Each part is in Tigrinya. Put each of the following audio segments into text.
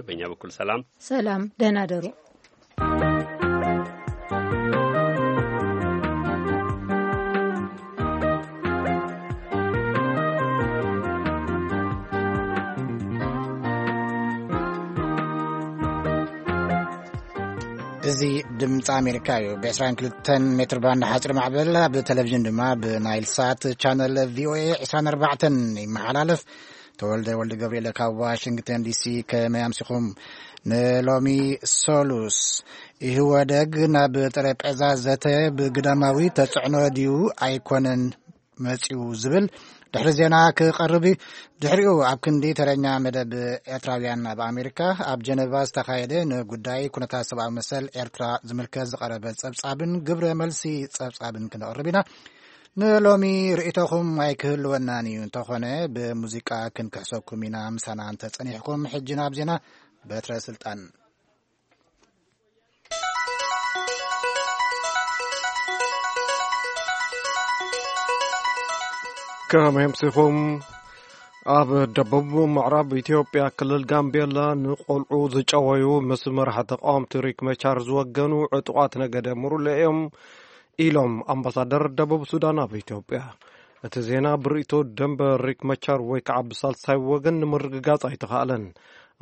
በእኛ በኩል ሰላም። ሰላም፣ ደህና ደሩ። እዚ ድምፂ ኣሜሪካ እዩ። ብ22 ሜትር ባንድ ሓፂር ማዕበል፣ ኣብ ቴሌቪዥን ድማ ብናይል ሳት ቻነል ቪኦኤ 24 ይመሓላለፍ። ተወልደ ወልደ ገብርኤል ካብ ዋሽንግተን ዲሲ። ከመይ ኣምሲኹም? ንሎሚ ሶሉስ፣ ኢህወደግ ናብ ጠረጴዛ ዘተ ብግዳማዊ ተፅዕኖ ድዩ ኣይኮነን መፂኡ ዝብል ድሕሪ ዜና ክቐርብ እዩ። ድሕሪኡ ኣብ ክንዲ ተረኛ መደብ ኤርትራውያን ኣብ ኣሜሪካ፣ ኣብ ጀነቫ ዝተኻየደ ንጉዳይ ኩነታት ሰብኣዊ መሰል ኤርትራ ዝምልከት ዝቐረበ ጸብጻብን ግብረ መልሲ ጸብጻብን ክነቕርብ ኢና። ንሎሚ ርእይቶኹም ኣይክህልወናን እዩ፣ እንተኾነ ብሙዚቃ ክንክሕሰኩም ኢና። ምሳና እንተጸኒሕኩም፣ ሕጂ ናብ ዜና በትረ ስልጣን። ከመይ ኣምሲኹም? ኣብ ደቡብ ምዕራብ ኢትዮጵያ ክልል ጋምቤላ ንቆልዑ ዝጨወዩ ምስ መራሒ ተቃወምቲ ሪክ መቻር ዝወገኑ ዕጡቓት ነገደ ሙሩለ እዮም ኢሎም ኣምባሳደር ደቡብ ሱዳን ኣብ ኢትዮጵያ። እቲ ዜና ብርእይቶ ደንበ ሪክ መቻር ወይ ከዓ ብሳልሳይ ወገን ንምርግጋጽ ኣይተኻእለን።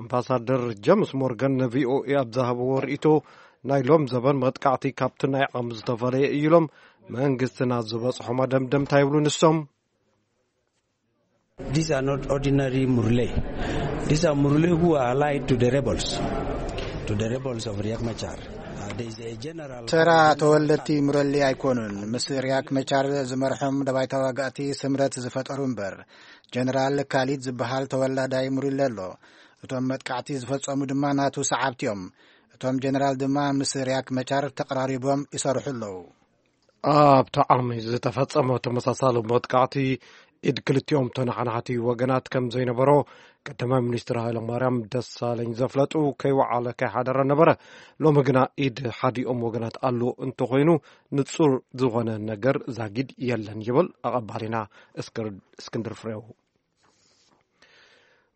ኣምባሳደር ጀምስ ሞርገን ንቪኦኤ ኣብ ዝሃብዎ ርእይቶ፣ ናይ ሎም ዘበን መጥቃዕቲ ካብቲ ናይ ዓም ዝተፈለየ እዩ ኢሎም መንግስትና ዝበጽሖ መደምደምታ ይብሉ ንሶም። These are not ordinary Murle. These are Murle who are allied to the rebels, to the rebels of Riek Machar. Uh, there is a general ተራ ተወለድቲ ሙረሊ ኣይኮኑን። ምስ ሪያክ መቻር ዝመርሖም ደባይ ተዋጋእቲ ስምረት ዝፈጠሩ እምበር፣ ጀነራል ካሊድ ዝበሃል ተወላዳይ ሙሪለ ኣሎ። እቶም መጥቃዕቲ ዝፈጸሙ ድማ ናቱ ሰዓብቲ እዮም። እቶም ጀነራል ድማ ምስ ሪያክ መቻር ተቐራሪቦም ይሰርሑ ኣለዉ። ኣብቲ ዓሚ ዝተፈጸመ ተመሳሳሊ መጥቃዕቲ ኢድ ክልቲኦም ተነሓናሕቲ ወገናት ከም ዘይነበሮ ቀዳማይ ሚኒስትር ሃይለማርያም ደሳለኝ ዘፍለጡ፣ ከይወዓለ ከይሓደረ ነበረ። ሎሚ ግና ኢድ ሓዲኦም ወገናት ኣሎ እንተኾይኑ፣ ንጹር ዝኾነ ነገር ዛጊድ የለን ይብል ኣቐባሊና እስክር-፣ እስክንድር ፍሬው።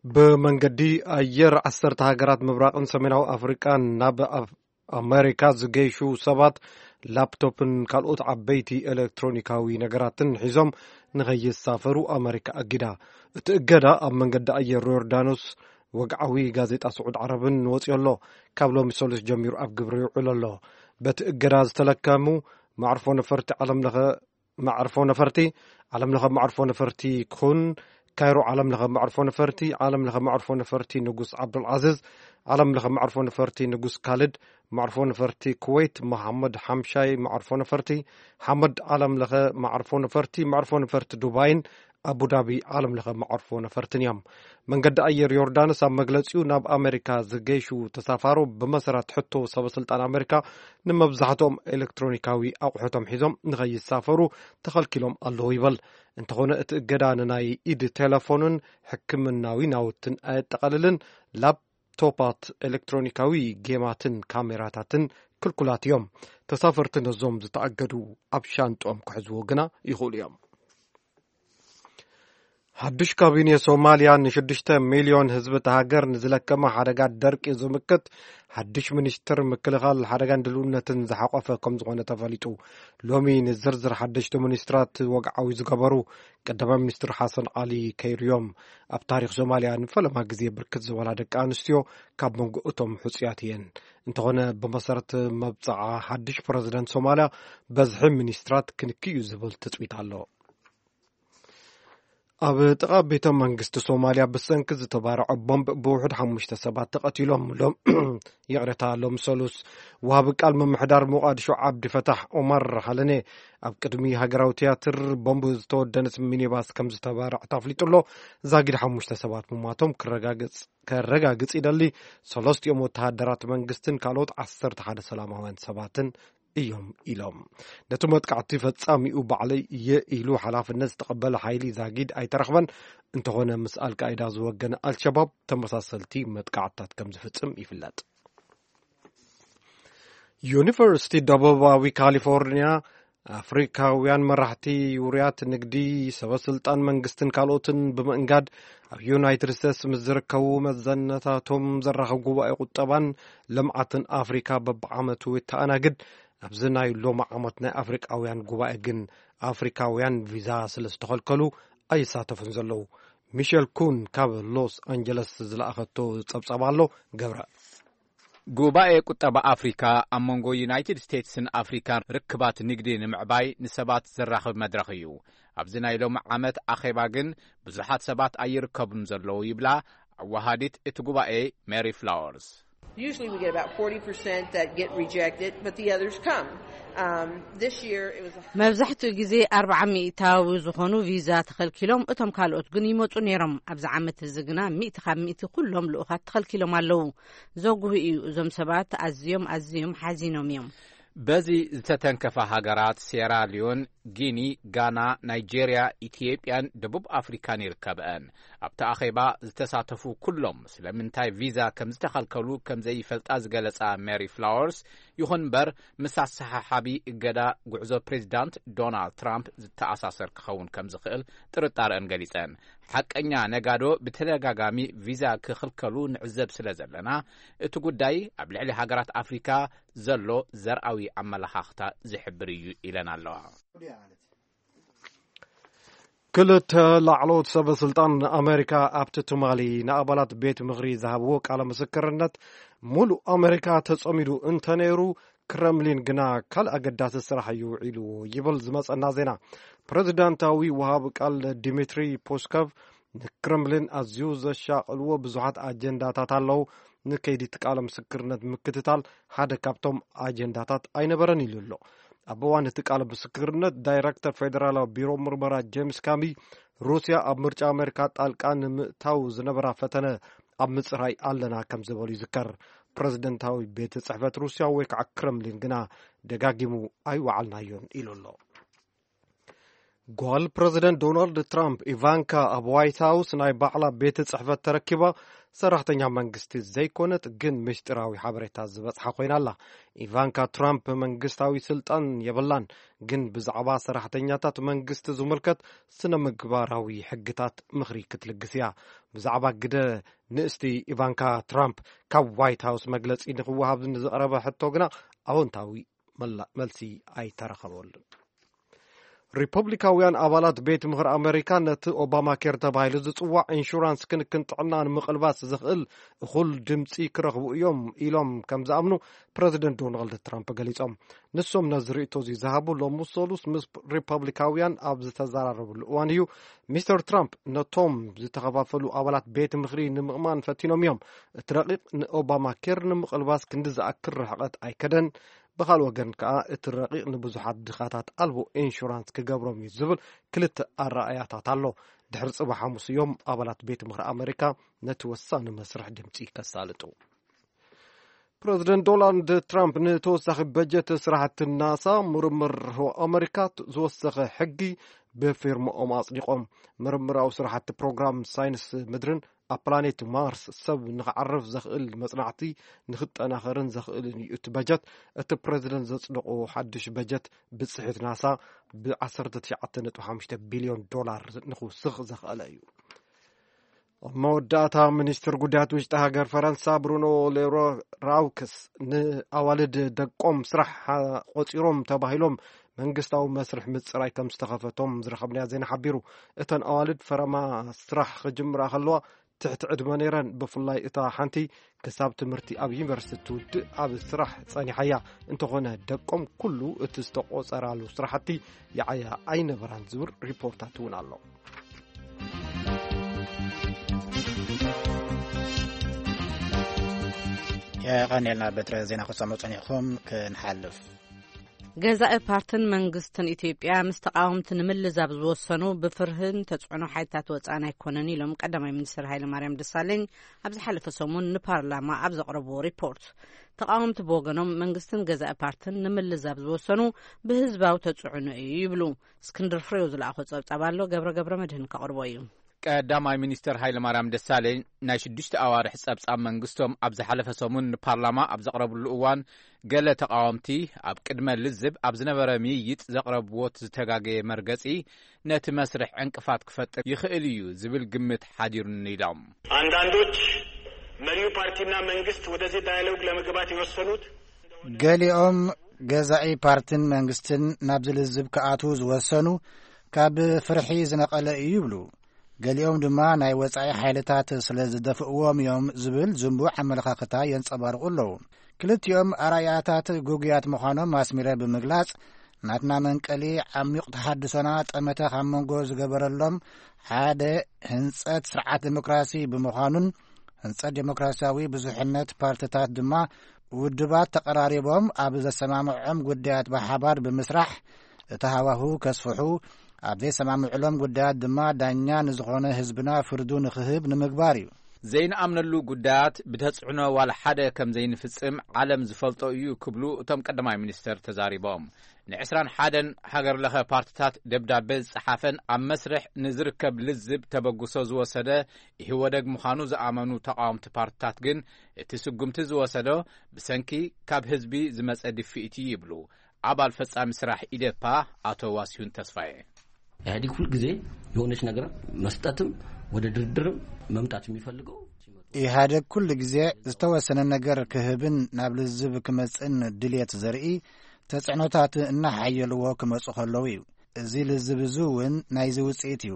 ብመንገዲ ኣየር ዓሰርተ ሃገራት ምብራቕን ሰሜናዊ ኣፍሪቃን ናብ ኣፍ-፣ ኣሜሪካ ዝገይሹ ሰባት ላፕቶፕን ካልኦት ዓበይቲ ኤሌክትሮኒካዊ ነገራትን ሒዞም ንኸይሳፈሩ ኣሜሪካ ኣጊዳ። እቲ እገዳ ኣብ መንገዲ ኣየር ዮርዳኖስ ወግዓዊ ጋዜጣ ስዑድ ዓረብን ወፂኦ ኣሎ። ካብ ሎሚ ሰሉስ ጀሚሩ ኣብ ግብሪ ይውዕል ኣሎ። በቲ እገዳ ዝተለከሙ መዕርፎ ነፈርቲ ዓለም ለኸ መዕርፎ ነፈርቲ፣ ዓለም ለኸ መዕርፎ ነፈርቲ ኩን፣ ካይሮ ዓለም ለኸ መዕርፎ ነፈርቲ፣ ዓለም ለኸ መዕርፎ ነፈርቲ ንጉስ ዓብዱልዓዚዝ፣ ዓለም ለኸ መዕርፎ ነፈርቲ ንጉስ ካልድ፣ መዕርፎ ነፈርቲ ኩወይት መሓመድ ሓምሻይ መዕርፎ ነፈርቲ፣ ሓመድ ዓለም ለኸ መዕርፎ ነፈርቲ፣ መዕርፎ ነፈርቲ ዱባይን ኣቡዳቢ ዓለም ለኸ መዕርፎ ነፈርትን እዮም። መንገዲ ኣየር ዮርዳኖስ ኣብ መግለጺኡ፣ ናብ ኣሜሪካ ዝገይሹ ተሳፋሮ ብመሰረት ሕቶ ሰበስልጣን ኣሜሪካ ንመብዛሕትኦም ኤሌክትሮኒካዊ ኣቑሑቶም ሒዞም ንኸይሳፈሩ ተኸልኪሎም ኣለዉ ይበል። እንተኾነ እቲ እገዳ ንናይ ኢድ ቴሌፎንን ሕክምናዊ ናውትን ኣየጠቓልልን። ላፕቶፓት፣ ኤሌክትሮኒካዊ ጌማትን ካሜራታትን ክልኩላት እዮም። ተሳፈርቲ ነዞም ዝተኣገዱ ኣብ ሻንጦም ክሕዝዎ ግና ይኽእሉ እዮም። ሓዱሽ ካቢኔ ሶማልያ ን6 ሚልዮን ህዝቢ እታ ሃገር ንዝለከመ ሓደጋ ደርቂ ዝምክት ሓዱሽ ሚኒስትር ምክልኻል ሓደጋን ድልውነትን ዝሓቆፈ ከም ዝኾነ ተፈሊጡ። ሎሚ ንዝርዝር ሓደሽቲ ሚኒስትራት ወግዓዊ ዝገበሩ ቀዳማይ ሚኒስትር ሓሰን ዓሊ ከይሩ እዮም። ኣብ ታሪኽ ሶማልያ ንፈለማ ግዜ ብርክት ዝበላ ደቂ ኣንስትዮ ካብ መንጎ እቶም ሕጹያት እየን። እንተኾነ ብመሰረት መብጽዓ ሓድሽ ፕረዚደንት ሶማልያ በዝሒ ሚኒስትራት ክንክይ እዩ ዝብል ትጽቢት ኣሎ። ኣብ ጥቓ ቤተ መንግስቲ ሶማልያ ብሰንኪ ዝተባረዐ ቦምብ ብውሑድ ሓሙሽተ ሰባት ተቐቲሎም። ሎም-፣ ይቕሬታ፣ ሎም ሰሉስ ወሃቢ ቃል ምምሕዳር ሞቃዲሾ ዓብዲ ፈታሕ ኦማር ሓለኔ ኣብ ቅድሚ ሃገራዊ ትያትር ቦምብ ዝተወደነት ሚኒባስ ከም ዝተባረዐት ኣፍሊጡ ኣሎ። ዛጊድ ሓሙሽተ ሰባት ምሟቶም ክረጋግጽ፣ ከረጋግጽ ይደሊ። ሰለስቲኦም ወተሃደራት መንግስትን ካልኦት ዓሰርተ ሓደ ሰላማውያን ሰባትን እዮም ኢሎም። ነቲ መጥቃዕቲ ፈጻሚኡ ባዕለይ እየ ኢሉ ሓላፍነት ዝተቐበለ ሓይሊ ዛጊድ ኣይተረኽበን። እንተኾነ ምስ ኣልቃይዳ ዝወገነ ኣልሸባብ ተመሳሰልቲ መጥቃዕትታት ከም ዝፍጽም ይፍለጥ። ዩኒቨርሲቲ ደቡባዊ ካሊፎርኒያ ኣፍሪካውያን መራሕቲ፣ ውሩያት ንግዲ፣ ሰበ ስልጣን መንግስትን ካልኦትን ብምእንጋድ ኣብ ዩናይትድ ስቴትስ ምስ ዝርከቡ መዘነታቶም ዘራኽብ ጉባኤ ቁጠባን ልምዓትን ኣፍሪካ በብዓመቱ የተኣናግድ። ኣብዚ ናይ ሎሚ ዓመት ናይ ኣፍሪቃውያን ጉባኤ ግን ኣፍሪካውያን ቪዛ ስለ ዝተኸልከሉ ኣይሳተፉን ዘለዉ። ሚሸል ኩን ካብ ሎስ ኣንጀለስ ዝለኣኸቶ ጸብጻብ ኣሎ። ገብረ። ጉባኤ ቁጠባ ኣፍሪካ ኣብ መንጎ ዩናይትድ ስቴትስን ኣፍሪካን ርክባት ንግዲ ንምዕባይ ንሰባት ዘራኽብ መድረኽ እዩ። ኣብዚ ናይ ሎሚ ዓመት ኣኼባ ግን ብዙሓት ሰባት ኣይርከቡን ዘለዉ ይብላ ኣወሃዲት እቲ ጉባኤ ሜሪ ፍላወርስ። Usually we get about forty percent that get rejected, but the others come. Um, this year it was a መብዛሕትኡ ግዜ ኣርብዓ ሚእታዊ ዝኾኑ ቪዛ ተኸልኪሎም፣ እቶም ካልኦት ግን ይመጹ ነይሮም። ኣብዚ ዓመት እዚ ግና ሚእቲ ካብ ሚእቲ ኩሎም ልኡኻት ተኸልኪሎም ኣለዉ። ዘጉህ እዩ። እዞም ሰባት ኣዝዮም ኣዝዮም ሓዚኖም እዮም። በዚ ዝተተንከፋ ሃገራት ሴራ ሊዮን፣ ጊኒ፣ ጋና፣ ናይጄርያ፣ ኢትዮጵያን ደቡብ ኣፍሪካን ይርከብአን። ኣብቲ ኣኼባ ዝተሳተፉ ኩሎም ስለምንታይ ቪዛ ከም ዝተኸልከሉ ከም ዘይፈልጣ ዝገለጻ ሜሪ ፍላወርስ፣ ይኹን እምበር ምስ ኣሰሓሓቢ እገዳ ጉዕዞ ፕሬዚዳንት ዶናልድ ትራምፕ ዝተኣሳሰር ክኸውን ከም ዝኽእል ጥርጣረአን ገሊጸን። ሓቀኛ ነጋዶ ብተደጋጋሚ ቪዛ ክኽልከሉ ንዕዘብ ስለ ዘለና፣ እቲ ጉዳይ ኣብ ልዕሊ ሃገራት ኣፍሪካ ዘሎ ዘርኣዊ ኣመለኻኽታ ዝሕብር እዩ ኢለን ኣለዋ። ክልተ ላዕለዎት ሰበ ስልጣን ኣሜሪካ ኣብቲ ትማሊ ንኣባላት ቤት ምኽሪ ዝሃብዎ ቃለ ምስክርነት ሙሉእ ኣሜሪካ ተጸሚዱ እንተነይሩ፣ ክረምሊን ግና ካልእ ኣገዳሲ ስራሕ እዩ ውዒልዎ ይብል ዝመጸና ዜና። ፕሬዚዳንታዊ ወሃቢ ቃል ዲሚትሪ ፖስኮቭ ንክረምሊን ኣዝዩ ዘሻቕልዎ ብዙሓት ኣጀንዳታት ኣለዉ። ንከይዲ እቲ ቃለ ምስክርነት ምክትታል ሓደ ካብቶም ኣጀንዳታት ኣይነበረን ኢሉ ኣሎ። ኣብ እዋን እቲ ቃለ ምስክርነት ዳይረክተር ፌደራላዊ ቢሮ ምርመራ ጄምስ ካሚ ሩስያ ኣብ ምርጫ ኣሜሪካ ጣልቃ ንምእታው ዝነበራ ፈተነ ኣብ ምጽራይ ኣለና ከም ዝበሉ ይዝከር። ፕረዚደንታዊ ቤት ጽሕፈት ሩስያ ወይ ከዓ ክረምሊን ግና ደጋጊሙ ኣይወዓልናዮን ኢሉ ኣሎ። ጓል ፕረዚደንት ዶናልድ ትራምፕ ኢቫንካ ኣብ ዋይት ሃውስ ናይ ባዕላ ቤት ጽሕፈት ተረኪባ ሰራሕተኛ መንግስቲ ዘይኮነት ግን ምስጢራዊ ሓበሬታ ዝበጽሓ ኮይና ኣላ። ኢቫንካ ትራምፕ መንግስታዊ ስልጣን የብላን፣ ግን ብዛዕባ ሰራሕተኛታት መንግስቲ ዝምልከት ስነ ምግባራዊ ሕግታት ምኽሪ ክትልግስ እያ። ብዛዕባ ግደ ንእስቲ ኢቫንካ ትራምፕ ካብ ዋይት ሃውስ መግለጺ ንክወሃብ ንዝቐረበ ሕቶ ግና ኣወንታዊ መላ- መልሲ ኣይተረኸበሉን። ሪፐብሊካውያን ኣባላት ቤት ምኽሪ ኣሜሪካ ነቲ ኦባማ ኬር ተባሂሉ ዝጽዋዕ ኢንሹራንስ ክንክን ጥዕና ንምቕልባስ ዘኽእል እኹል ድምፂ ክረኽቡ እዮም ኢሎም ከም ዝኣምኑ ፕረዚደንት ዶናልድ ትራምፕ ገሊጾም። ንሶም ነዚ ርእይቶ እዚ ዝሃቡ ሎሚ ሰሉስ ምስ ሪፐብሊካውያን ኣብ ዝተዘራረብሉ እዋን እዩ። ሚስተር ትራምፕ ነቶም ዝተኸፋፈሉ ኣባላት ቤት ምኽሪ ንምእማን ፈቲኖም እዮም። እቲ ረቂቕ ንኦባማ ኬር ንምቕልባስ ክንዲ ዝኣክል ርሕቐት ኣይከደን። ብኻልእ ወገን ከኣ እቲ ረቂቕ ንብዙሓት ድኻታት ኣልቦ ኢንሹራንስ ክገብሮም እዩ ዝብል ክልተ ኣረኣእያታት ኣሎ። ድሕሪ ጽባሕ ሓሙስ እዮም ኣባላት ቤት ምኽሪ ኣመሪካ ነቲ ወሳኒ መስርሕ ድምጺ ከሳልጡ። ፕረዚደንት ዶናልድ ትራምፕ ንተወሳኺ በጀት ስራሕቲ ናሳ፣ ምርምር ህዋ ኣመሪካ ዝወሰኸ ሕጊ ብፊርማኦም ኣጽዲቖም። ምርምራዊ ስራሕቲ ፕሮግራም ሳይንስ ምድርን ኣብ ፕላኔት ማርስ ሰብ ንኽዓርፍ ዘኽእል መጽናዕቲ ንኽጠናኸርን ዘኽእልን እዩ እቲ በጀት። እቲ ፕረዚደንት ዘጽደቖ ሓድሽ በጀት ብጽሒት ናሳ ብ19.5 ቢልዮን ዶላር ንኽውስኽ ዘኽእለ እዩ። ኣብ መወዳእታ፣ ሚኒስትር ጉዳያት ውሽጢ ሃገር ፈረንሳ ብሩኖ ሌሮራውክስ ንኣዋልድ ደቆም ስራሕ ቆጺሮም ተባሂሎም መንግስታዊ መስርሕ ምጽራይ ከም ዝተኸፈቶም ዝረኸብናዮ ዜና ሓቢሩ። እተን ኣዋልድ ፈረማ ስራሕ ክጅምራ ከለዋ ትሕቲ ዕድመ ነይረን። ብፍላይ እታ ሓንቲ ክሳብ ትምህርቲ ኣብ ዩኒቨርሲቲ ትውድእ ኣብ ስራሕ ጸኒሓ እያ። እንተኾነ ደቆም ኩሉ እቲ ዝተቖጸራሉ ስራሕቲ ይዓያ ኣይነበራን ዝብል ሪፖርታት እውን ኣሎ። የቐንየልና በትረ ዜና ክሰምዑ ጸኒሕኹም። ክንሓልፍ፣ ገዛኢ ፓርትን መንግስትን ኢትዮጵያ ምስ ተቃወምቲ ንምልዛብ ዝወሰኑ ብፍርህን ተጽዕኖ ሓይልታት ወጻኢ ኣይኮነን ኢሎም ቀዳማይ ሚኒስትር ሃይለማርያም ደሳለኝ ኣብ ዝሓለፈ ሰሙን ንፓርላማ ኣብ ዘቕረብዎ ሪፖርት። ተቃወምቲ ብወገኖም መንግስትን ገዛኢ ፓርትን ንምልዛብ ዝወሰኑ ብህዝባዊ ተጽዕኖ እዩ ይብሉ። እስክንድር ፍሬው ዝለኣኾ ጸብጻብ ኣሎ፣ ገብረ ገብረ መድህን ከቕርቦ እዩ። ቀዳማይ ሚኒስትር ሃይለማርያም ደሳለኝ ናይ ሽዱሽተ ኣዋርሕ ጸብጻብ መንግስቶም ኣብ ዝሓለፈ ሰሙን ንፓርላማ ኣብ ዘቕረብሉ እዋን፣ ገለ ተቓወምቲ ኣብ ቅድመ ልዝብ ኣብ ዝነበረ ምይይጥ ዘቕረብዎ ዝተጋገየ መርገጺ ነቲ መስርሕ ዕንቅፋት ክፈጥር ይኽእል እዩ ዝብል ግምት ሓዲሩኒ ኢሎም። አንዳንዶች መሪው ፓርቲና መንግስት ወደዚህ ዳያሎግ ለመግባት የወሰኑት ገሊኦም ገዛኢ ፓርትን መንግስትን ናብዚ ልዝብ ክኣትዉ ዝወሰኑ ካብ ፍርሒ ዝነቐለ እዩ ይብሉ። ገሊኦም ድማ ናይ ወጻኢ ሓይልታት ስለ ዝደፍእዎም እዮም ዝብል ዝንቡዕ ኣመለኻኽታ የንጸባርቑ ኣለዉ። ክልቲኦም ኣርኣያታት ግጉያት ምዃኖም ኣስሚረ ብምግላጽ፣ ናትና መንቀሊ ዓሚቕ ተሃድሶና ጠመተ ካብ መንጎ ዝገበረሎም ሓደ ህንጸት ስርዓት ዴሞክራሲ ብምዃኑን፣ ህንጸት ዴሞክራሲያዊ ብዙሕነት ፓርትታት ድማ ውድባት ተቐራሪቦም ኣብ ዘሰማምዖም ጉዳያት ብሓባር ብምስራሕ እቲ ሃዋሁ ከስፍሑ፣ ኣብ ዘይሰማምዕሎም ጉዳያት ድማ ዳኛ ንዝኾነ ህዝብና ፍርዱ ንኽህብ ንምግባር እዩ። ዘይንኣምነሉ ጉዳያት ብተጽዕኖ ዋላ ሓደ ከም ዘይንፍጽም ዓለም ዝፈልጦ እዩ ክብሉ እቶም ቀዳማይ ሚኒስተር ተዛሪቦም። ን ዕስራን ሓደን ሃገር ለኸ ፓርትታት ደብዳቤ ዝጸሓፈን ኣብ መስርሕ ንዝርከብ ልዝብ ተበግሶ ዝወሰደ ኢህወደግ ምዃኑ ዝኣመኑ ተቓወምቲ ፓርትታት ግን፣ እቲ ስጉምቲ ዝወሰዶ ብሰንኪ ካብ ህዝቢ ዝመጸ ድፍኢት እዩ ይብሉ ኣባል ፈጻሚ ስራሕ ኢዴፓ ኣቶ ዋሲሁን ተስፋዬ። ኢህአዴግ ሁልጊዜ የሆነች ነገር መስጠትም ወደ ድርድርም መምጣት የሚፈልገው ኢህኣደግ ኩሉ ግዜ ዝተወሰነ ነገር ክህብን ናብ ልዝብ ክመጽእን ድልየት ዘርኢ ተጽዕኖታት እናሓየልዎ ክመጹ ከለዉ እዩ። እዚ ልዝብ እዚ እውን ናይዚ ውጽኢት እዩ።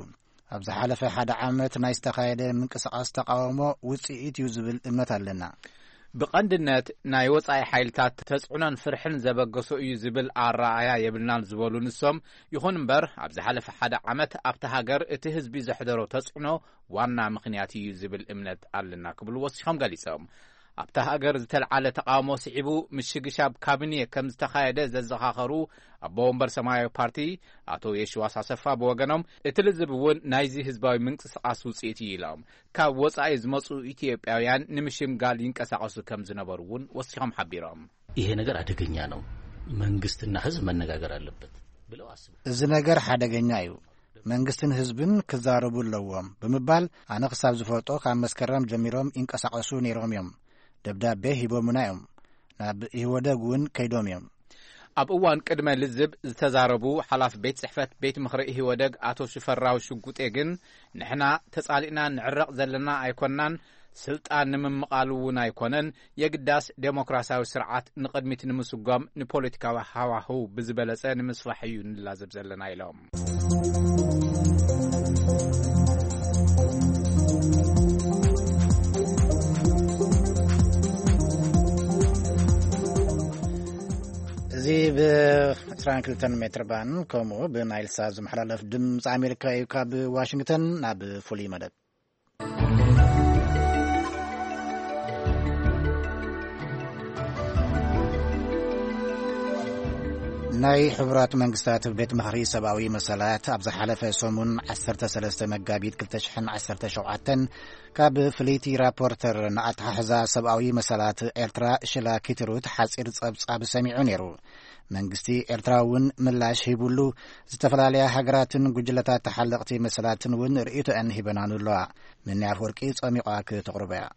ኣብ ዝሓለፈ ሓደ ዓመት ናይ ዝተኻየደ ምንቅስቓስ ተቓውሞ ውጽኢት እዩ ዝብል እምነት ኣለና። ብቐንድነት ናይ ወጻኢ ሓይልታት ተጽዕኖን ፍርሕን ዘበገሶ እዩ ዝብል ኣረኣእያ የብልናን ዝበሉ ንሶም፣ ይኹን እምበር ኣብ ዝሓለፈ ሓደ ዓመት ኣብቲ ሃገር እቲ ህዝቢ ዘሕደሮ ተጽዕኖ ዋና ምኽንያት እዩ ዝብል እምነት ኣለና ክብሉ ወሲኾም ገሊጾም። ኣብታ ሃገር ዝተልዓለ ተቓውሞ ስዒቡ ምሽግሻብ ካቢኔ ከም ዝተኻየደ ዘዘኻኸሩ ኣቦ ወንበር ሰማያዊ ፓርቲ ኣቶ የሽዋስ ኣሰፋ ብወገኖም፣ እቲ ልዝብ እውን ናይዚ ህዝባዊ ምንቅስቓስ ውጽኢት እዩ ኢሎም፣ ካብ ወጻኢ ዝመጹ ኢትዮጵያውያን ንምሽምጋል ይንቀሳቐሱ ከም ዝነበሩ እውን ወሲኾም ሓቢሮም። ይሄ ነገር አደገኛ ነው፣ መንግስትና ህዝብ መነጋገር አለበት ብለው አስቡ። እዚ ነገር ሓደገኛ እዩ፣ መንግስትን ህዝብን ክዛረቡ ኣለዎም ብምባል፣ ኣነ ክሳብ ዝፈልጦ ካብ መስከረም ጀሚሮም ይንቀሳቐሱ ነይሮም እዮም። ደብዳቤ ሂቦምና እዮም። ናብ ኢህወደግ እውን ከይዶም እዮም። ኣብ እዋን ቅድመ ልዝብ ዝተዛረቡ ሓላፊ ቤት ጽሕፈት ቤት ምኽሪ ኢህወደግ ኣቶ ሽፈራው ሽጉጤ ግን፣ ንሕና ተጻሊእና ንዕረቕ ዘለና ኣይኮንናን፣ ስልጣን ንምምቓል እውን ኣይኮነን፣ የግዳስ ዴሞክራሲያዊ ስርዓት ንቕድሚት ንምስጓም ንፖለቲካዊ ሃዋህው ብዝበለጸ ንምስፋሕ እዩ ንላዘብ ዘለና ኢሎም። እዚ ብ22 ሜትር ባን ከምኡ ብናይል ሳት ዝመሓላለፍ ድምፂ ኣሜሪካ እዩ። ካብ ዋሽንግተን ናብ ፍሉይ መደብ። ናይ ሕቡራት መንግስታት ቤት ምኽሪ ሰብኣዊ መሰላት ኣብ ዝሓለፈ ሰሙን ዓሰርተ ሰለስተ መጋቢት ክልተ ሽሕን ዓሰርተ ሸውዓተን ካብ ፍልይቲ ራፖርተር ንኣተሓሕዛ ሰብኣዊ መሰላት ኤርትራ ሽላ ኪትሩት ሓጺር ጸብጻብ ሰሚዑ ነይሩ። መንግስቲ ኤርትራ እውን ምላሽ ሂቡሉ፣ ዝተፈላለያ ሃገራትን ጉጅለታት ተሓለቕቲ መሰላትን እውን ርእይቶአን ሂበናሉ ኣለዋ። ምንያ ኣፈወርቂ ጸሚቋ ክተቕርቦ እያ።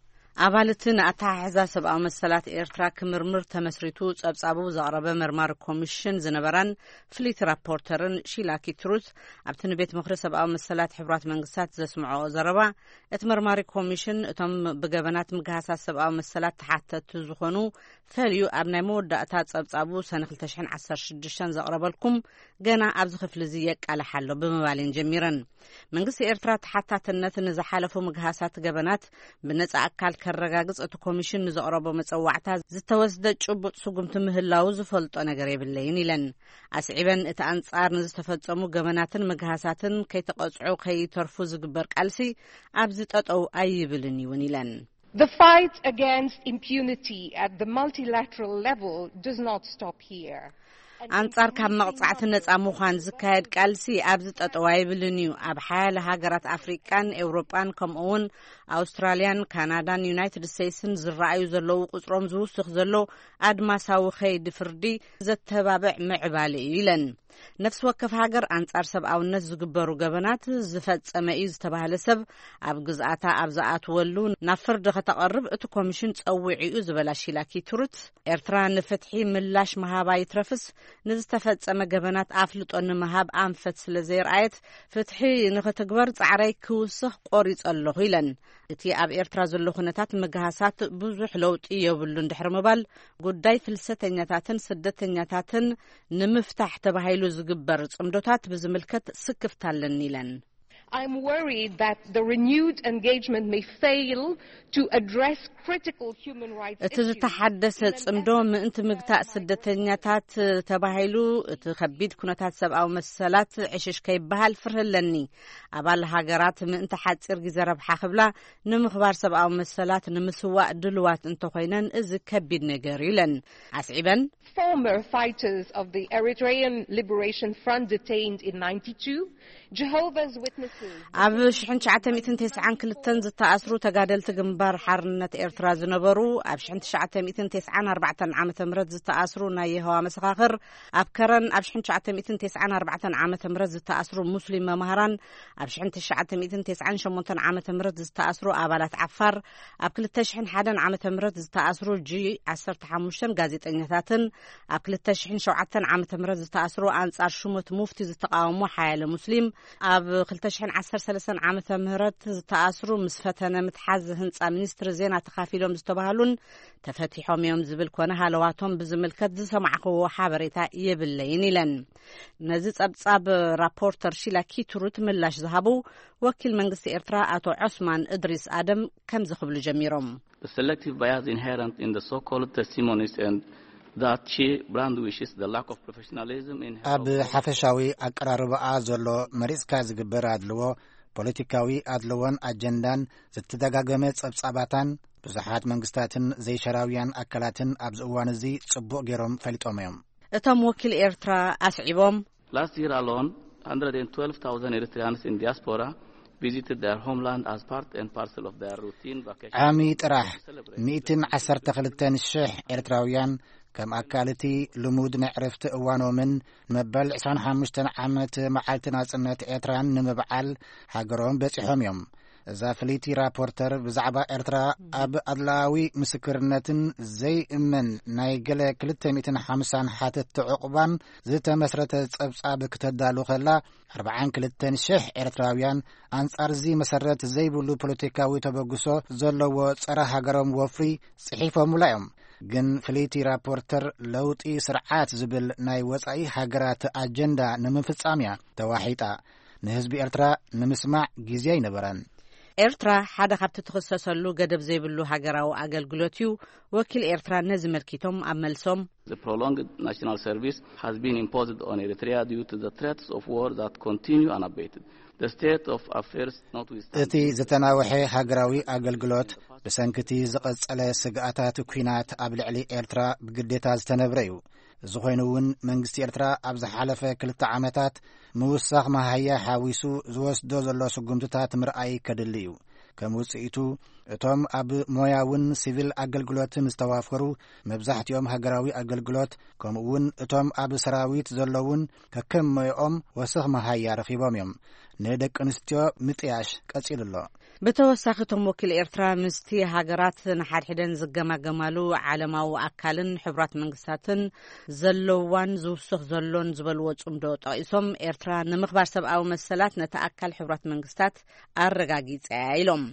ኣባልቲ ንኣተሓሕዛ ሰብኣዊ መሰላት ኤርትራ ክምርምር ተመስሪቱ ጸብጻቡ ዘቕረበ መርማሪ ኮሚሽን ዝነበራን ፍሊት ራፖርተርን ሺላ ኪትሩት ኣብቲ ንቤት ምኽሪ ሰብኣዊ መሰላት ሕቡራት መንግስታት ዘስምዖ ዘረባ፣ እቲ መርማሪ ኮሚሽን እቶም ብገበናት ምግሃሳት ሰብኣዊ መሰላት ተሓተቲ ዝኾኑ ፈልዩ ኣብ ናይ መወዳእታ ጸብጻቡ ሰነ ክልተ ሽሕን ዓሰርተ ሽዱሽተን ዘቕረበልኩም ገና ኣብዚ ክፍሊ እዚ የቃልሕ ኣሎ ብምባል እየን ጀሚረን። መንግስቲ ኤርትራ ተሓታትነት ንዝሓለፉ ምግሃሳት ገበናት ብነጻ ኣካል ከረጋግጽ እቲ ኮሚሽን ንዘቕረቦ መጸዋዕታ ዝተወስደ ጭቡጥ ስጉምቲ ምህላው ዝፈልጦ ነገር የብለይን ኢለን። ኣስዒበን እቲ ኣንጻር ንዝተፈጸሙ ገበናትን ምግሃሳትን ከይተቐጽዑ ከይተርፉ ዝግበር ቃልሲ ኣብዚ ጠጠው ኣይብልን እውን ኢለን። The fight against impunity at the multilateral level does not stop here. ኣንጻር ካብ መቕጻዕቲ ነጻ ምዃን ዝካየድ ቃልሲ ኣብዚ ጠጠው ኣይብልን እዩ። ኣብ ሓያለ ሃገራት ኣፍሪቃን ኤውሮጳን ከምኡ እውን ኣውስትራልያን ካናዳን ዩናይትድ ስቴትስን ዝረኣዩ ዘለዉ ቁጽሮም ዝውስኽ ዘሎ ኣድማሳዊ ከይዲ ፍርዲ ዘተባብዕ ምዕባለ እዩ ኢለን። ነፍሲ ወከፍ ሃገር ኣንጻር ሰብኣውነት ዝግበሩ ገበናት ዝፈጸመ እዩ ዝተባህለ ሰብ ኣብ ግዝኣታ ኣብ ዝኣትወሉ ናብ ፍርዲ ከተቐርብ እቲ ኮሚሽን ጸዊዑ እዩ ዝበላ ሺላ ኪትሩት፣ ኤርትራ ንፍትሒ ምላሽ ምሃባ ይትረፍስ ንዝተፈጸመ ገበናት ኣፍልጦ ንምሃብ ኣንፈት ስለ ዘየርኣየት ፍትሒ ንኽትግበር ጻዕረይ ክውስኽ ቆሪጸ ኣለኹ ኢለን። እቲ ኣብ ኤርትራ ዘሎ ኩነታት ምግሃሳት ብዙሕ ለውጢ የብሉን ድሕሪ ምባል፣ ጉዳይ ፍልሰተኛታትን ስደተኛታትን ንምፍታሕ ተባሂሉ ዝግበር ጽምዶታት ብዝምልከት ስክፍታ ኣለኒ ኢለን። I'm worried that the renewed engagement may fail to address critical human rights እቲ issues ዝተሓደሰ in an ጽምዶ effort ምእንቲ to ምግታእ avoid ስደተኛታት ተባሂሉ እቲ ከቢድ ኩነታት ሰብኣዊ መሰላት ዕሽሽ ከይበሃል ፍርህ ኣለኒ። ኣባል ሃገራት ምእንቲ ሓጺር ግዜ ረብሓ ክብላ ንምኽባር ሰብኣዊ መሰላት ንምስዋእ ድልዋት እንተኾይነን እዚ ከቢድ ነገር እዩ ኢለን። ኣስዒበን፣ Former fighters of the Eritrean Liberation Front detained in ninety-two, Jehovah's Witnesses ኣብ ሽሕን ትሽዓተ ሚእትን ተስዓን ክልተን ዝተኣስሩ ተጋደልቲ ግንባር ሓርነት ኤርትራ ዝነበሩ፣ ኣብ ሽሕን ትሽዓተ ሚእትን ተስዓን ኣርባዕተን ዓመተ ምህረት ዝተኣስሩ ናይ የሆዋ መሰኻኽር፣ ኣብ ከረን ኣብ ሽሕን ትሽዓተ ሚእትን ተስዓን ኣርባዕተን ዓመተ ምህረት ዝተኣስሩ ሙስሊም መማህራን፣ ኣብ ሽሕን ትሽዓተ ሚእትን ተስዓን ሸሞንተን ዓመተ ምህረት ዝተኣስሩ ኣባላት ዓፋር፣ ኣብ ክልተ ሽሕን ሓደን ዓመተ ምህረት ዝተኣስሩ ጂ ዓሰርተ ሓሙሽተን ጋዜጠኛታትን፣ ኣብ ክልተ ሽሕን ሸውዓተን ዓመተ ምህረት ዝተኣስሩ ኣንጻር ሹመት ሙፍቲ ዝተቃወሙ ሓያለ ሙስሊም፣ ኣብ ክልተ ሽሕን ዓሰርተ ሰለስተን ዓመተ ምህረት ዝተኣስሩ ምስ ፈተነ ምትሓዝ ህንጻ ሚኒስትሪ ዜና ተኻፊሎም ዝተባህሉን ተፈቲሖም እዮም ዝብል ኮነ ሃለዋቶም ብዝምልከት ዝሰማዕክዎ ሓበሬታ የብለይን ኢለን። ነዚ ጸብጻብ ራፖርተር ሺላ ኪትሩት ምላሽ ዝሃቡ ወኪል መንግስቲ ኤርትራ ኣቶ ዑስማን እድሪስ ኣደም ከምዚ ክብሉ ጀሚሮም። The selective bias inherent in the so-called testimonies and that she brandishes the lack of professionalism in her ኣብ ሓፈሻዊ ኣቀራርባኣ ዘሎ መሪጽካ ዝግበር ኣድልዎ፣ ፖለቲካዊ ኣድልዎን ኣጀንዳን ዝተደጋገመ ጸብጻባታን ብዙሓት መንግስታትን ዘይሸራውያን ኣካላትን ኣብዚ እዋን እዚ ጽቡቕ ገይሮም ፈሊጦም እዮም። እቶም ወኪል ኤርትራ ኣስዒቦም፣ Last year alone, one hundred twelve thousand Eritreans in diaspora visited their homeland as part and parcel of their routine vacation ዓሚ ጥራሕ to celebrate ሚእትን ዓሰርተ ክልተን ሽሕ ኤርትራውያን ከም ኣካል እቲ ልሙድ ናይ ዕረፍቲ እዋኖምን ንመበል ዕስራን ሓሙሽተን ዓመት መዓልቲ ናጽነት ኤርትራን ንምብዓል ሃገሮም በጺሖም እዮም። እዛ ፍልይቲ ራፖርተር ብዛዕባ ኤርትራ ኣብ ኣድላዊ ምስክርነትን ዘይእመን ናይ ገለ ክልተ ሚእትን ሓምሳን ሓተትቲ ዕቑባን ዝተመስረተ ጸብጻብ ክተዳሉ ከላ፣ ኣርባዓን ክልተን ሽሕ ኤርትራውያን ኣንጻር እዚ መሰረት ዘይብሉ ፖለቲካዊ ተበግሶ ዘለዎ ጸረ ሃገሮም ወፍሪ ጽሒፎምላ እዮም። ግን ፍልይቲ ራፖርተር ለውጢ ስርዓት ዝብል ናይ ወጻኢ ሃገራት ኣጀንዳ ንምፍጻም እያ ተዋሒጣ። ንህዝቢ ኤርትራ ንምስማዕ ግዜ ኣይነበረን። ኤርትራ ሓደ ካብቲ ትኽሰሰሉ ገደብ ዘይብሉ ሃገራዊ ኣገልግሎት እዩ። ወኪል ኤርትራ ነዚ መልኪቶም ኣብ መልሶም፣ The prolonged national service has been imposed on Eritrea due to the threats of war that continue unabated. The state of affairs notwithstanding እቲ ዝተናውሐ ሃገራዊ ኣገልግሎት ብሰንኪ እቲ ዝቐጸለ ስግኣታት ኲናት ኣብ ልዕሊ ኤርትራ ብግዴታ ዝተነብረ እዩ። እዚ ኮይኑ እውን መንግስቲ ኤርትራ ኣብ ዝሓለፈ ክልተ ዓመታት ምውሳኽ መሃያ ሓዊሱ ዝወስዶ ዘሎ ስጉምትታት ምርኣይ ከድሊ እዩ። ከም ውጽኢቱ እቶም ኣብ ሞያውን ሲቪል ኣገልግሎትን ዝተዋፈሩ መብዛሕትኦም ሃገራዊ ኣገልግሎት ከምኡ እውን እቶም ኣብ ሰራዊት ዘለውን ከከም ሞያኦም ወሰኽ መሃያ ረኺቦም እዮም። ንደቂ ኣንስትዮ ምጥያሽ ቀጺሉ ኣሎ። ብተወሳኺ እቶም ወኪል ኤርትራ ምስቲ ሃገራት ንሓድሕደን ዝገማገማሉ ዓለማዊ ኣካልን ሕቡራት መንግስታትን ዘለዋን ዝውስኽ ዘሎን ዝበልዎ ጽምዶ ጠቒሶም፣ ኤርትራ ንምኽባር ሰብኣዊ መሰላት ነቲ ኣካል ሕቡራት መንግስታት ኣረጋጊጸ እያ ኢሎም።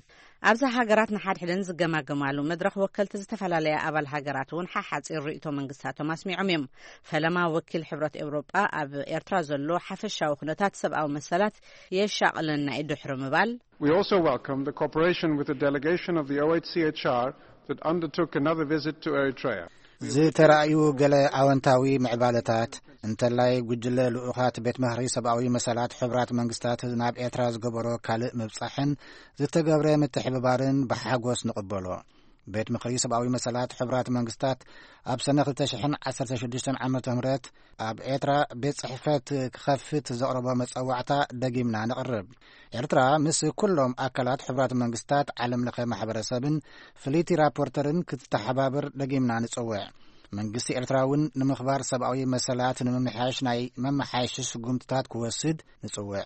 ኣብዛ ሃገራት ንሓድሕደን ዝገማገማሉ መድረኽ ወከልቲ ዝተፈላለያ ኣባል ሃገራት እውን ሓሓጺር ርእይቶ መንግስታቶም ኣስሚዖም እዮም። ፈለማ ወኪል ሕብረት ኤውሮጳ ኣብ ኤርትራ ዘሎ ሓፈሻዊ ኩነታት ሰብኣዊ መሰላት የሻቕለና እዩ ድሕሪ ምባል፣ We also welcome the cooperation with the delegation of the O H C H R that undertook another visit to Eritrea. ዝተራእዩ ገለ ኣወንታዊ ምዕባለታት፣ እንተላይ ጉጅለ ልኡኻት ቤት ምኽሪ ሰብኣዊ መሰላት ሕብራት መንግስታት ናብ ኤርትራ ዝገበሮ ካልእ ምብጻሕን ዝተገብረ ምትሕብባርን ብሓጎስ ንቕበሎ። ቤት ምኽሪ ሰብኣዊ መሰላት ሕቡራት መንግስታት ኣብ ሰነ ክልተ ሽሕን ዓሰርተ ሽዱሽተን ዓመተ ምህረት ኣብ ኤርትራ ቤት ጽሕፈት ክኸፍት ዘቕረቦ መጸዋዕታ ደጊምና ነቕርብ። ኤርትራ ምስ ኩሎም ኣካላት ሕቡራት መንግስታት፣ ዓለም ለኸ ማሕበረሰብን ፍልይቲ ራፖርተርን ክትተሓባበር ደጊምና ንጽውዕ። መንግስቲ ኤርትራ እውን ንምኽባር ሰብኣዊ መሰላት ንምምሕያሽ ናይ መመሓየሺ ስጉምትታት ክወስድ ንጽውዕ።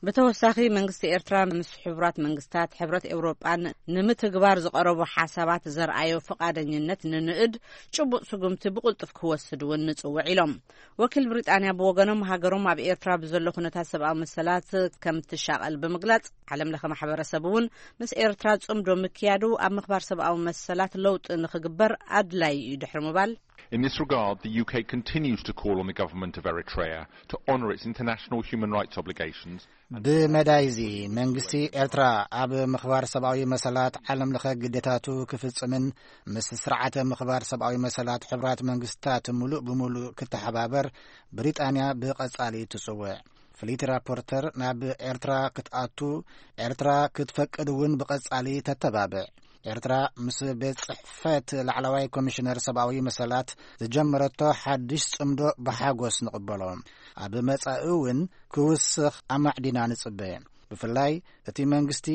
ብተወሳኺ መንግስቲ ኤርትራ ምስ ሕቡራት መንግስታት፣ ሕብረት ኤውሮጳን ንምትግባር ዝቐረቡ ሓሳባት ዘርኣዮ ፍቓደኝነት ንንእድ ጭቡጥ ስጉምቲ ብቕልጡፍ ክወስድ እውን ንጽውዕ ኢሎም። ወኪል ብሪጣንያ ብወገኖም ሃገሮም ኣብ ኤርትራ ብዘሎ ኩነታት ሰብኣዊ መሰላት ከም ትሻቐል ብምግላጽ ዓለም ለኸ ማሕበረሰብ እውን ምስ ኤርትራ ጽምዶ ምክያዱ ኣብ ምኽባር ሰብኣዊ መሰላት ለውጢ ንኽግበር ኣድላይ እዩ ድሕሪ ምባል In this regard, the U K continues to call on the government of Eritrea to honour its international human rights obligations. ብመዳይዚ መንግስቲ ኤርትራ ኣብ ምኽባር ሰብኣዊ መሰላት ዓለም ለኸ ግዴታቱ ክፍጽምን ምስ ስርዓተ ምኽባር ሰብኣዊ መሰላት ሕቡራት መንግስታት ምሉእ ብምሉእ ክተሓባበር ብሪጣንያ ብቐጻሊ ትጽውዕ። ፍልይቲ ራፖርተር ናብ ኤርትራ ክትኣቱ ኤርትራ ክትፈቅድ እውን ብቐጻሊ ተተባብዕ። ኤርትራ ምስ ቤት ጽሕፈት ላዕለዋይ ኮሚሽነር ሰብኣዊ መሰላት ዝጀመረቶ ሓድሽ ጽምዶ ብሓጎስ ንቕበሎ። ኣብ መጻኢ እውን ክውስኽ ኣማዕዲና ንጽበ። ብፍላይ እቲ መንግስቲ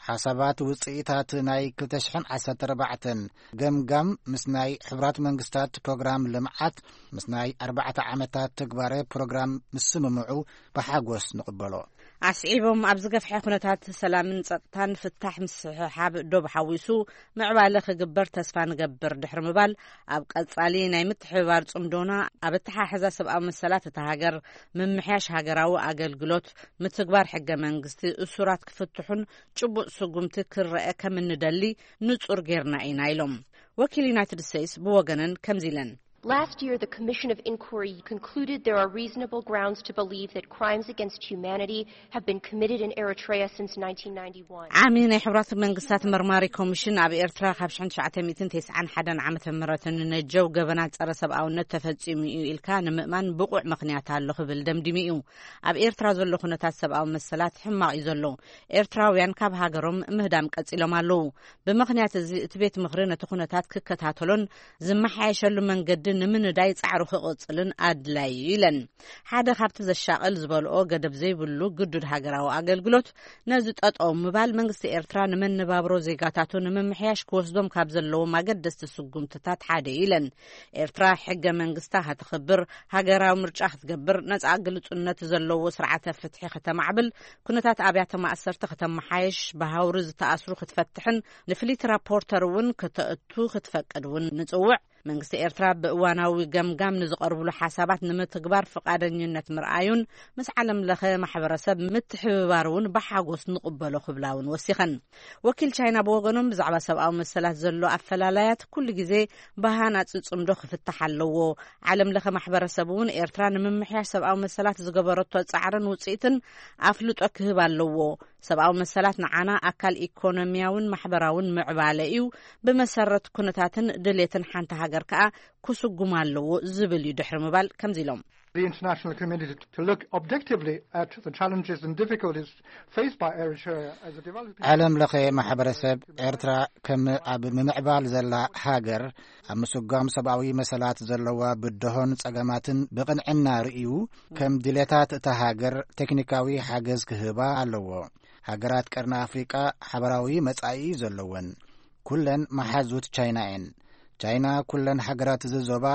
ሓሳባት ውጽኢታት ናይ ክልተ ሽሕን ዓሰርተ ኣርባዕተን ገምጋም ምስ ናይ ሕቡራት መንግስታት ፕሮግራም ልምዓት ምስ ናይ ኣርባዕተ ዓመታት ተግባረ ፕሮግራም ምስምምዑ ብሓጎስ ንቕበሎ። ኣስዒቦም፣ ኣብ ዝገፍሐ ኩነታት ሰላምን ጸጥታን ፍታሕ ምስሕሓብ ዶብ ሓዊሱ ምዕባለ ክግበር ተስፋ ንገብር ድሕሪ ምባል፣ ኣብ ቀጻሊ ናይ ምትሕብባር ጽምዶና ኣብ ኣተሓሕዛ ሰብኣዊ መሰላት እታ ሃገር፣ ምምሕያሽ ሃገራዊ ኣገልግሎት፣ ምትግባር ሕገ መንግስቲ፣ እሱራት ክፍትሑን ጭቡጥ ስጉምቲ ክረአ ከም እንደሊ ንጹር ጌርና ኢና ኢሎም። ወኪል ዩናይትድ ስቴትስ ብወገነን ከምዚ ኢለን። Last year, the Commission of Inquiry concluded there are reasonable grounds to believe that crimes against humanity have been committed in Eritrea since nineteen ninety-one. ዓሚ ናይ ሕብራት መንግስታት መርማሪ ኮሚሽን ኣብ ኤርትራ ካብ ሽሕን ትሽዓተ ሚእትን ተስዓን ሓደን ዓመተ ምህረት ንነጀው ገበናት ጸረ ሰብኣውነት ተፈጺሙ እዩ ኢልካ ንምእማን ብቑዕ ምኽንያት ኣሎ ክብል ደምዲሙ እዩ። ኣብ ኤርትራ ዘሎ ኩነታት ሰብኣዊ መሰላት ሕማቕ እዩ ዘሎ። ኤርትራውያን ካብ ሃገሮም ምህዳም ቀጺሎም ኣለዉ። ብምኽንያት እዚ እቲ ቤት ምኽሪ ነቲ ኩነታት ክከታተሎን ዝመሓየሸሉ መንገዲ ንምንዳይ ጻዕሩ ክቕጽልን ኣድላይ እዩ ኢለን። ሓደ ካብቲ ዘሻቕል ዝበልኦ ገደብ ዘይብሉ ግዱድ ሃገራዊ ኣገልግሎት ነዚ ጠጠው ምባል መንግስቲ ኤርትራ ንመነባብሮ ዜጋታቱ ንምምሕያሽ ክወስዶም ካብ ዘለዎም ኣገደስቲ ስጉምትታት ሓደ እዩ ኢለን። ኤርትራ ሕገ መንግስታ ከተኽብር፣ ሃገራዊ ምርጫ ክትገብር፣ ነጻ ግልጹነት ዘለዎ ስርዓተ ፍትሒ ከተማዕብል፣ ኩነታት ኣብያተ ማእሰርቲ ከተመሓየሽ፣ ብሃውሪ ዝተኣስሩ ክትፈትሕን ንፍልይቲ ራፖርተር እውን ከተእቱ ክትፈቅድ እውን ንጽውዕ። መንግስቲ ኤርትራ ብእዋናዊ ገምጋም ንዝቐርብሉ ሓሳባት ንምትግባር ፍቓደኝነት ምርኣዩን ምስ ዓለም ለኸ ማሕበረሰብ ምትሕብባር እውን ብሓጎስ ንቕበሎ ክብላ እውን ወሲኸን። ወኪል ቻይና ብወገኖም ብዛዕባ ሰብኣዊ መሰላት ዘሎ ኣፈላላያት ኩሉ ግዜ ብሃናጺ ጽምዶ ክፍታሕ ኣለዎ። ዓለም ለኸ ማሕበረሰብ እውን ኤርትራ ንምምሕያሽ ሰብኣዊ መሰላት ዝገበረቶ ጻዕርን ውጽኢትን ኣፍልጦ ክህብ ኣለዎ። ሰብኣዊ መሰላት ንዓና ኣካል ኢኮኖሚያውን ማሕበራውን ምዕባለ እዩ። ብመሰረት ኩነታትን ድሌትን ሓንቲ ሃገር ከኣ ክስጉም ኣለዎ ዝብል እዩ ድሕሪ ምባል ከምዚ ኢሎም። The international community to look objectively at the challenges and difficulties faced by Eritrea as a developing ዓለም ለኸ ማሕበረሰብ ኤርትራ ከም ኣብ ምምዕባል ዘላ ሃገር ኣብ ምስጓም ሰብኣዊ መሰላት ዘለዋ ብድሆን ጸገማትን ብቕንዕና ርእዩ ከም ድሌታት እታ ሃገር ቴክኒካዊ ሓገዝ ክህባ ኣለዎ። ሃገራት ቀርኒ ኣፍሪቃ ሓበራዊ መጻኢ ዘለወን ኩለን መሓዙት ቻይና እየን። ቻይና ኩለን ሃገራት እዚ ዞባ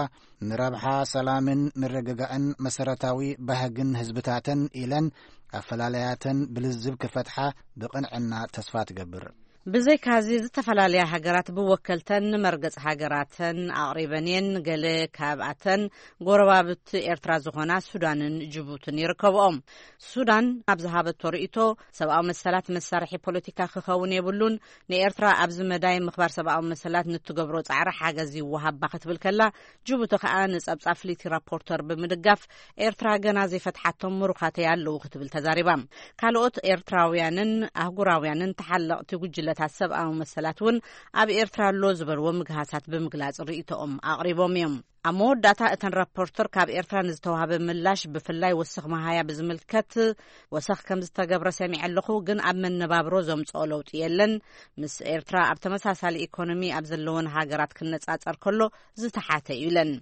ንረብሓ ሰላምን ምርግጋእን መሰረታዊ ባህግን ህዝብታተን ኢለን ኣፈላለያተን ብልዝብ ክፈትሓ ብቕንዕና ተስፋ ትገብር። ብዘይካዚ ዝተፈላለያ ሃገራት ብወከልተን ንመርገጽ ሃገራተን ኣቕሪበን እየን። ገለ ካብኣተን ጎረባብቲ ኤርትራ ዝኾና ሱዳንን ጅቡትን ይርከብኦም። ሱዳን ኣብ ዝሃበቶ ርእይቶ ሰብኣዊ መሰላት መሳርሒ ፖለቲካ ክኸውን የብሉን። ንኤርትራ ኣብዚ መዳይ ምኽባር ሰብኣዊ መሰላት ንትገብሮ ጻዕሪ ሓገዝ ይወሃባ ክትብል ከላ፣ ጅቡቲ ከኣ ንጸብጻብ ፍልይቲ ራፖርተር ብምድጋፍ ኤርትራ ገና ዘይፈትሓቶም ምሩኻተይ ኣለዉ ክትብል ተዛሪባ። ካልኦት ኤርትራውያንን ኣህጉራውያንን ተሓለቕቲ ጉጅለ ንኹነታት ሰብኣዊ መሰላት እውን ኣብ ኤርትራ ኣሎ ዝበልዎ ምግሃሳት ብምግላጽ ርእይቶኦም ኣቕሪቦም እዮም። ኣብ መወዳእታ እተን ራፖርተር ካብ ኤርትራ ንዝተዋህበ ምላሽ፣ ብፍላይ ወሰኽ መሃያ ብዝምልከት፣ ወሰኽ ከም ዝተገብረ ሰሚዐ ኣለኹ፣ ግን ኣብ መነባብሮ ዘምጽኦ ለውጢ የለን። ምስ ኤርትራ ኣብ ተመሳሳሊ ኢኮኖሚ ኣብ ዘለወን ሃገራት ክነጻጸር ከሎ ዝተሓተ እዩ ኢለን።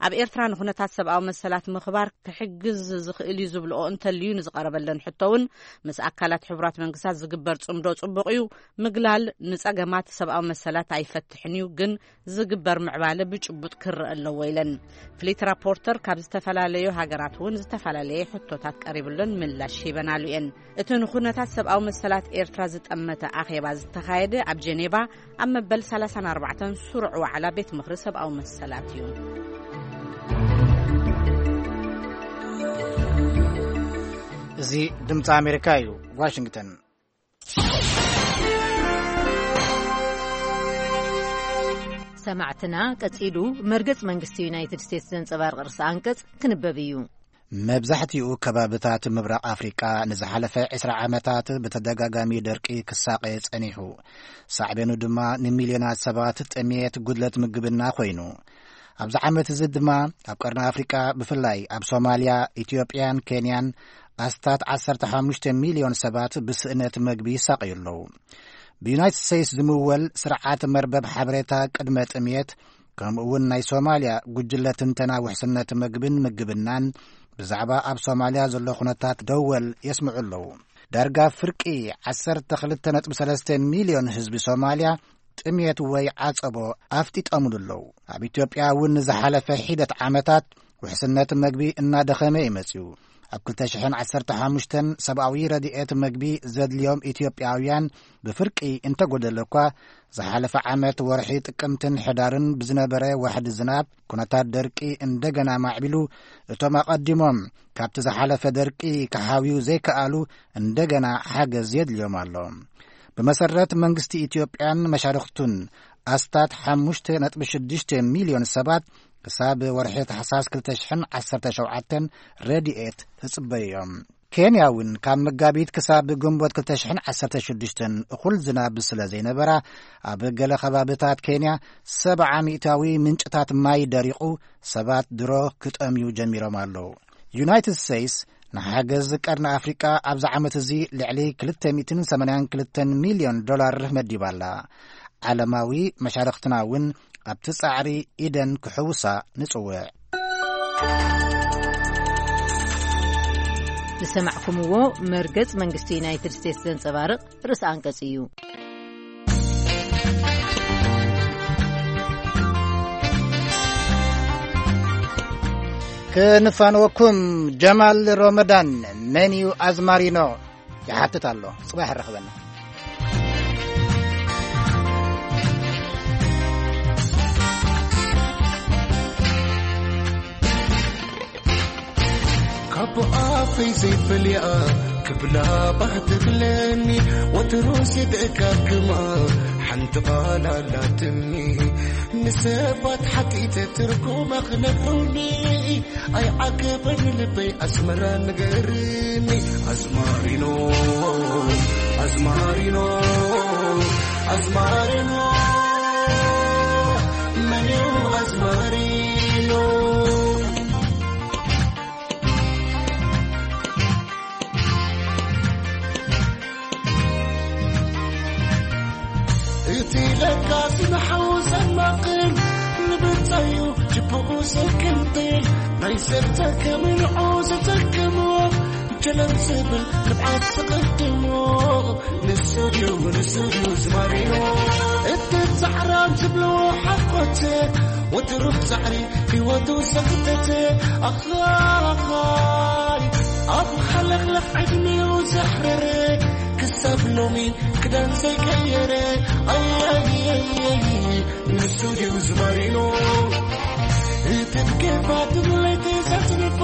ኣብ ኤርትራ ንኹነታት ሰብኣዊ መሰላት ምኽባር ክሕግዝ ዝኽእል እዩ ዝብልኦ እንተልዩ ንዝቐረበለን ሕቶ እውን፣ ምስ ኣካላት ሕቡራት መንግስታት ዝግበር ጽምዶ ጽቡቕ እዩ፣ ምግላል ንጸገማት ሰብኣዊ መሰላት ኣይፈትሕን እዩ፣ ግን ዝግበር ምዕባለ ብጭቡጥ ክረአ ኣለዎ ኢለን። ፍሊት ራፖርተር ካብ ዝተፈላለዩ ሃገራት እውን ዝተፈላለየ ሕቶታት ቀሪብለን ምላሽ ሂበናሉ እየን። እቲ ንኹነታት ሰብኣዊ መሰላት ኤርትራ ዝጠመተ ኣኼባ ዝተኻየደ ኣብ ጀኔቫ ኣብ መበል ሰላሳን ኣርባዕተን ስሩዕ ዋዕላ ቤት ምኽሪ ሰብኣዊ መሰላት እዩ። እዚ ድምፂ ኣሜሪካ እዩ፣ ዋሽንግተን። ሰማዕትና፣ ቀጺሉ መርገጽ መንግስቲ ዩናይትድ ስቴትስ ዘንጸባርቕ ርእሰ ኣንቀጽ ክንበብ እዩ። መብዛሕትኡ ከባብታት ምብራቕ ኣፍሪቃ ንዝሓለፈ ዕስራ ዓመታት ብተደጋጋሚ ደርቂ ክሳቐ ጸኒሑ። ሳዕቤኑ ድማ ንሚልዮናት ሰባት ጥሜት፣ ጉድለት ምግብና ኮይኑ። ኣብዚ ዓመት እዚ ድማ ኣብ ቀርኒ ኣፍሪቃ፣ ብፍላይ ኣብ ሶማልያ፣ ኢትዮጵያን ኬንያን፣ ኣስታት ዓሰርተ ሓሙሽተ ሚልዮን ሰባት ብስእነት መግቢ ይሳቐዩ ኣለዉ። ብዩናይትድ ስቴትስ ዝምወል ስርዓት መርበብ ሓበሬታ ቅድመ ጥሜት፣ ከምኡ እውን ናይ ሶማልያ ጉጅለ ትንተና ውሕስነት መግብን ምግብናን ብዛዕባ ኣብ ሶማልያ ዘሎ ኩነታት ደወል የስምዑ ኣለዉ። ዳርጋ ፍርቂ ዓሰርተ ክልተ ነጥቢ ሰለስተ ሚልዮን ህዝቢ ሶማልያ ጥሜት ወይ ዓጸቦ ኣፍጢጠምሉ ኣለዉ። ኣብ ኢትዮጵያ እውን ንዝሓለፈ ሒደት ዓመታት ውሕስነት መግቢ እናደኸመ እዩ መጺኡ። ኣብ ክልተ ሽሕን ዓሰርተ ሓሙሽተን ሰብኣዊ ረድኤት መግቢ ዘድልዮም ኢትዮጵያውያን ብፍርቂ እንተጎደለ እኳ፣ ዝሓለፈ ዓመት ወርሒ ጥቅምትን ሕዳርን ብዝነበረ ዋሕዲ ዝናብ፣ ኩነታት ደርቂ እንደገና ማዕቢሉ፣ እቶም ኣቐዲሞም ካብቲ ዝሓለፈ ደርቂ ክሓውዩ ዘይከኣሉ እንደገና ሓገዝ የድልዮም ኣሎ። ብመሰረት መንግስቲ ኢትዮጵያን መሻርኽቱን፣ ኣስታት ሓሙሽተ ነጥቢ ሽዱሽተ ሚልዮን ሰባት ክሳብ ወርሒ ታሕሳስ ክልተ ሽሕን ዓሰርተ ሸውዓተን ረድኤት ይጽበዩ እዮም። ኬንያ እውን ካብ መጋቢት ክሳብ ግንቦት ክልተ ሽሕን ዓሰርተ ሽዱሽተን እኹል ዝናብ ስለ ዘይነበራ፣ ኣብ ገለ ከባብታት ኬንያ ሰብዓ ሚእታዊ ምንጭታት ማይ ደሪቑ፣ ሰባት ድሮ ክጠምዩ ጀሚሮም ኣለዉ። ዩናይትድ ስቴትስ ንሓገዝ ቀርኒ ኣፍሪቃ ኣብዚ ዓመት እዚ ልዕሊ ክልተ ሚእትን ሰማንያን ክልተን ሚልዮን ዶላር መዲባ ኣላ። ዓለማዊ መሻርኽትና እውን ኣብቲ ጻዕሪ ኢደን ክሕውሳ ንጽውዕ። ዝሰማዕኩምዎ መርገጽ መንግስቲ ዩናይትድ ስቴትስ ዘንጸባርቕ ርእሰ ኣንቀጽ እዩ። ክንፋንወኩም፣ ጀማል ሮመዳን መን እዩ ኣዝማሪኖ? ይሓትት ኣሎ። ጽባሕ ረኽበና። ካብ ኣፈይ ዘይፈልያ ክብላ ባህ ትብለኒ፣ ወትሩ ሲደጋግማ ሓንቲ ቃል ኣላትኒ። ንሰባት ሓቲተ ትርጉማ ክነግሩኒ ኣይዓገበን ልበይ ኣስመራ ንገርኒ። ኣዝማሪኖ፣ ኣዝማሪኖ፣ ኣዝማሪኖ፣ መን እዩ ኣዝማሪኖ? እቲ ለጋሲ ንሓዉ ዘማቕል፣ ንብጻዩ ጅብኡ ዘክንጥል፣ ናይ ሰብ ተከም ንዑ ዘተክሞ፣ ጀለም ዝብል ንብዓት ዝቕድሞ፣ ንሱ ድዩ፣ ንሱ ድዩ ዝማሪኖ? እቲ ጻዕራም ዝብልዎ ሓቆት፣ ወትሩ ጻዕሪ ህይወቱ ዘኽተተ፣ ኣኻይ ኣብ ሓለኽለኽ ዕድሜኡ ዘሕረረ፣ ክሳብ ሎሚ ክዳን ዘይቀየረ፣ ኣያይይይይ፣ ንሱ ድዩ ዝማሪኖ? እቲ ብኬፋ ትብለይቲ ዘጽንፋ፣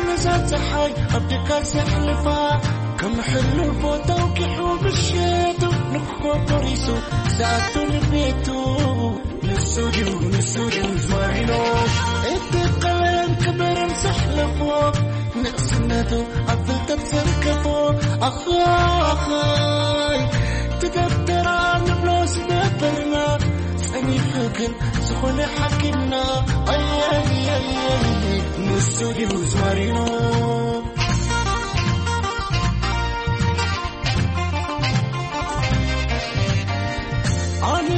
ነዛ ጸሓይ ኣብ ድካ ዘሕልፋ፣ ከም ሕልፎ ተውኪሑ ምሸቱ፣ ንግሆ ቆሪሱ ዝኣቱ ንቤቱ። ንሱ ድዩ፣ ንሱ ድዩ ዝማሪኖ? እቲ ቀለም ክብርን ዘሕለፎ፣ ንእስነቱ ኣብ ፍልጠት ዘርከፎ፣ ኣኻይ ትደብደራ ዝነበርና ጸኒሑ ግን ዝኾነ ሓኪምና ኣየየየ ንሱ ድዩ ዝማሪኖ። ኣነ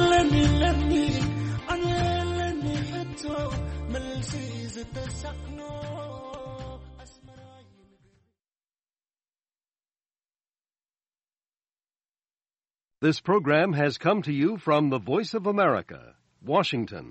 ለኒ ለኒ ኣነ ለኒ ሕቶ መልሲ ዝተሳእኖ ኣስመራ ይንገር። This program has come to you from the Voice of America, Washington.